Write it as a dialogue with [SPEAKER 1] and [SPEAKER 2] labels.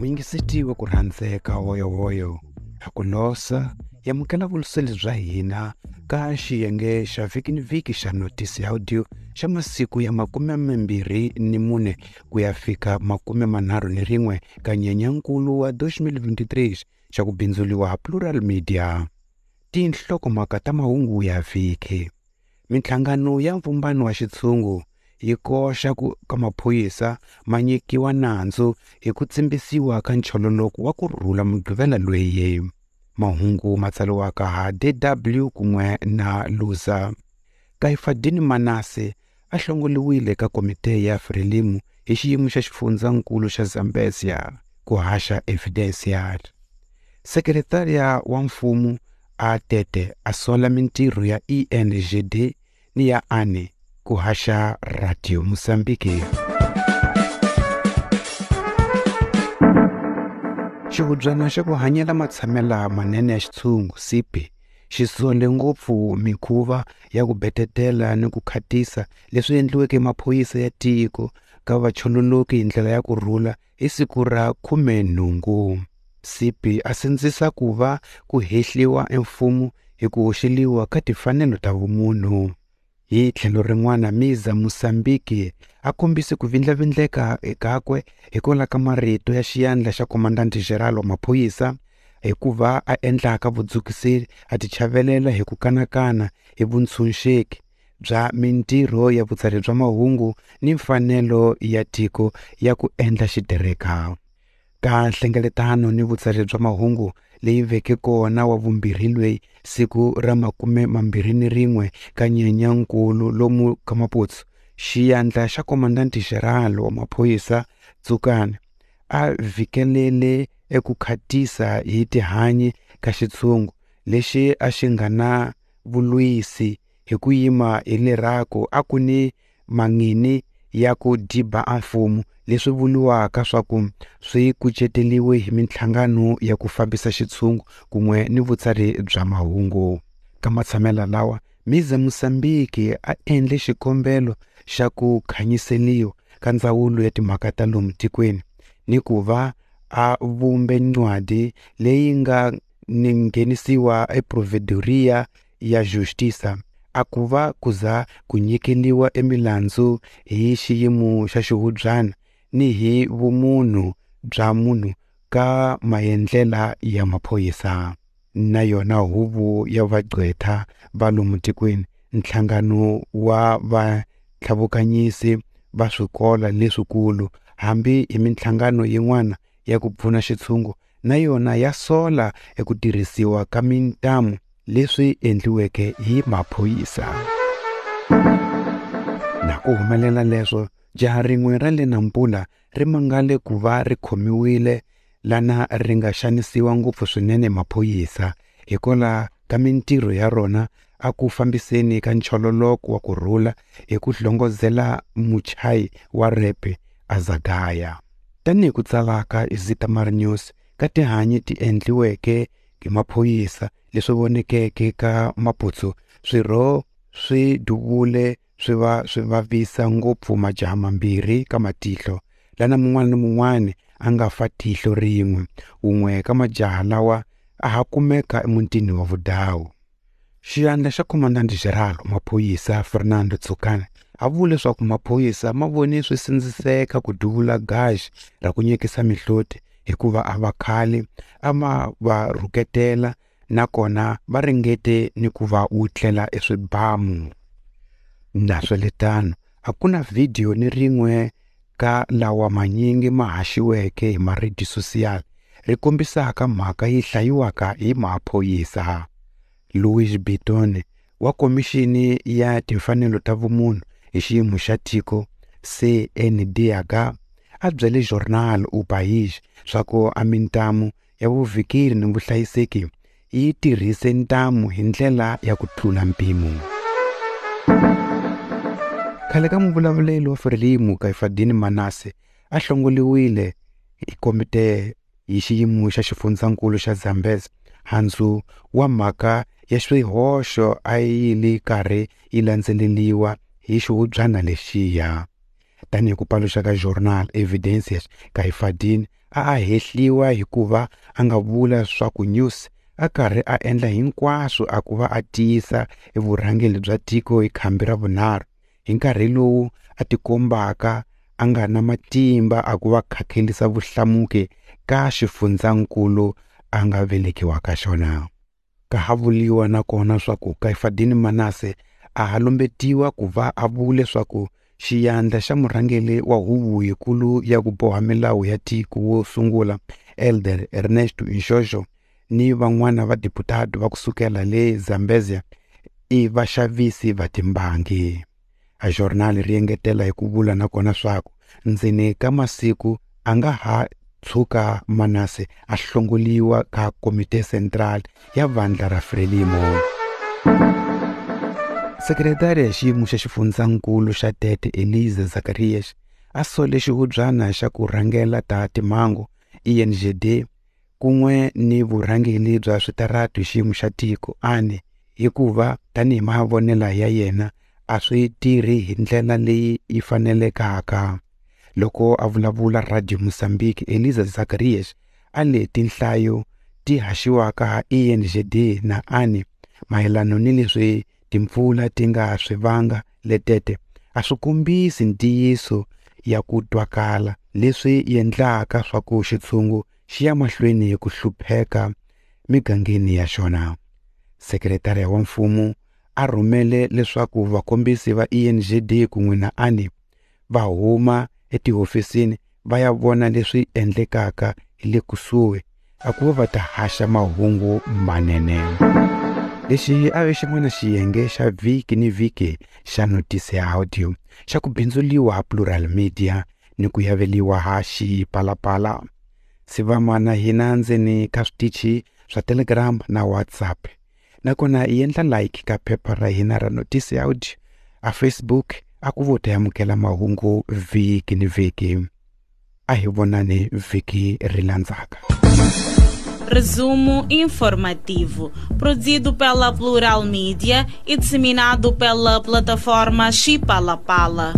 [SPEAKER 1] Muyingiseti wa ku rhandzeka woyowoyo ha ku losa yamukela vuluseli bya hina ka xiyenge xa vhiki ni vhiki xa notisi audio xa masiku ya 24 ku ya fika 31 ka Nyenyankulu wa 2023 xa ku bindzuriwa ha Plural Media. Tinhlokomhaka ta mahungu ya vhiki. Minhlangano ya mvumbano wa xitshungu yi koxa ku ka maphorisa ma nyikiwa nandzu hi ku tsimbisiwa ka nchololoko wa ku rhula Mugqivela lweyi. Mahungu ma tsariwaka ha DW kun'we na Luza. Kaifadini Manase a hlongoliwile ka komite ya Frelimo hi xiyimo xa xifundzankulu xa Zambezia ku haxa Evidencia. Sekretariya wa mfumo a Tete a sola mintirho ya ENGD ni ya ANE ku haxa Radio Mozambique. Xihubyana xa ku hanyela matshamela manene ya xitshungu CP xi sole ngopfu mikhuva ya ku betetela ni ku khatisa leswi endliweke maphorisa ya tiko ka vachololoki hi ndlela ya ku rhula hi siku ra 18. CP a sindzisa ku va ku hehliwa emfumo hi ku hoxeliwa ka timfanelo ta vumunhu. Hi tlhelo rin'wana Miza Mozambique a kombise ku vindlavindleka kakwe hikwalaho ka marito ya xiyandla xa Comandante Geral wa maphorisa hikuva a endlaka vudzukiseri a tichavelela hi ku kanakana hi vuntshunxeki bya mintirho ya vutsari bya mahungu ni mfanelo ya tiko ya ku endla xitereka. Ka nhlengeletano ni vutsari bya mahungu leyi veke kona wa vumbirhi lweyi siku ra 21 ka Nyenyankulu lomu ka Maputo, xiyandla xa Comandante Geral wa maphorisa Tsukani a vhikelele eku khatisa hi tihanyi ka xitshungu lexi a xi nga na vulwisi hi ku yima hi lerako a ku ni mangini ya ku diba a mfumo leswi vuriwaka swa ku swi kuceteriwe hi minhlangano ya ku fambisa xitshungu kun'we ni vutsari bya mahungu. Ka matshamela lawa Miza Mozambique a endle xikombelo xa ku khanyiseliwa ka ndzawulo ya timhaka ta lomu tikweni ni ku va a vumbe ncwadi leyi nga ni nghenisiwa eProvedoria ya Justiça a ku va kuza ku nyikeliwa emilandzu hi xiyimo xa xihubyana ni hi vumunhu bya munhu ka maendlela ya maphorisa. Na yona huvo ya vagqwetha va lomu tikweni, nhlangano wa vatlhavukanyisi va swikolo leswikulu hambi hi minhlangano yin'wana ya ku pfuna xitshungu na yona ya sola eku tirhisiwa ka mintamu leswi endliweke hi maphorisa. Na ku humelela leswo, jaha rin'we ra le Nampula ri mangale ku va ri khomiwile lana ri nga xanisiwa ngopfu swinene maphorisa hikwalaho ka mintirho ya rona a ku fambiseni ka nchololoko wa ku rhula hi ku hlongozela muchayi wa repe Azagaya. Tanihi ku tsalaka Zitamar News ka tihanyi ti endliweke hi maphorisa leswi vonekeke ka Maputo, swirho swi duvule swi va swi vavisa ngopfu majaha mambirhi ka matihlo lana mun'wana ni mun'wana a nga fa tihlo rin'we. Wun'we ka majaha lawa a ha kumeka emutini wa Vudawu. Xiyandla xa Comandante Geral maphorisa Fernando Tsukani a vule leswaku maphorisa ma vone swi sindziseka ku duvula gaji ra ku nyikisa mihloti hikuva a va khale a ma va rhuketela nakona va ringete ni ku va wutlela eswibamu. Naswiritano a ku na vhidiyo ni rin'we ka lawa manyingi ma haxiweke hi maridi social ri kombisaka mhaka yi hlayiwaka hi maphorisa. Louis Bitone wa Komixini ya Timfanelo ta Vumunhu hi xiyimo xa tiko CNDH a byele Jornal O País swa ku a mintamu ya vuvhikeri ni vuhlayiseki yi tirhise ntamu hi ndlela ya ku tlula mpimo. Khale ka muvulavuleri wa Frelimo Kaifadini Manase a hlongoliwile hi komite hi xiyimo xa xifundzankulu xa Zambezi handzu wa mhaka ya swihoxo a yi li karhi yi landzeleriwa hi xihubyana lexiya. Tanihi ku paluxa ka Jornal Evidências, Caifadine a a hehliwa hikuva a nga vula swa ku Nyusi a karhi a endla hinkwaswo a ku va a tiyisa evurhangeri bya tiko hi khambi ra vunharhu hi nkarhi lowu a tikombaka a nga na matimba a ku va khakhelisa vuhlamuki ka xifundzankulu a nga velekiwa ka xona. Ka ha vuliwa nakona swa ku Caifadine Manasse a ha lumbetiwa ku va a vule swa ku xiyandla xa murhangeri wa huvo yikulu ya ku boha milawu ya tiko wo sungula Elder Ernesto Nxoxo ni van'wana va deputado va kusukela le Zambezia i vaxavisi va timbangi. A journal ri engetela hi ku vula nakona swaku ndzeni ka masiku a nga ha tshuka Manasse a hlongoliwa ka Komite Central ya vandla ra Frelimo. Sekretari ya xiyimo xa xifundzankulu xa Tete Elisa Zacarias a sole xihubyana xa ku rhangela ta timhangu INGD kun'we ni vurhangeri bya switaratu hi xiyimo xa tiko ANE hikuva tanihi mavonelo ya yena a swi tirhi hi ndlela leyi yi fanelekaka. Loko a vulavula Radio Mozambique, Elisa Zacarias a le tinhlayo ti haxiwaka INGD na ANE mayelana ni leswi timpfula ti nga swi vanga letete a swi kombisi ntiyiso ya ku twakala leswi endlaka swa ku xitshungu xi ya mahlweni hi ku hlupheka migangeni ya xona. Sekretariya wa mfumo a rhumele leswaku vakombisi va INGD kun'we na ANE va huma etihofisini va ya vona leswi endlekaka hi le kusuhi a ku va ta haxa mahungu manene. Lexi a ve xin'wana xiyenge xa vhiki ni vhiki xa Notice ya Audio xa ku bindzuliwa ha Plural Media ni ku yaveliwa ha Xipalapala. Sivama na hina ndzeni ka switichi swa Telegram na WhatsApp. Nakona hi endla like ka phepha ra hina ra Notice ya Audio a Facebook a ku vo ta amukela mahungu vhiki ni vhiki. A hi vonani vhiki ri landzaka.
[SPEAKER 2] Resumo informativo, produzido pela Plural Mídia e disseminado pela plataforma Xipalapala.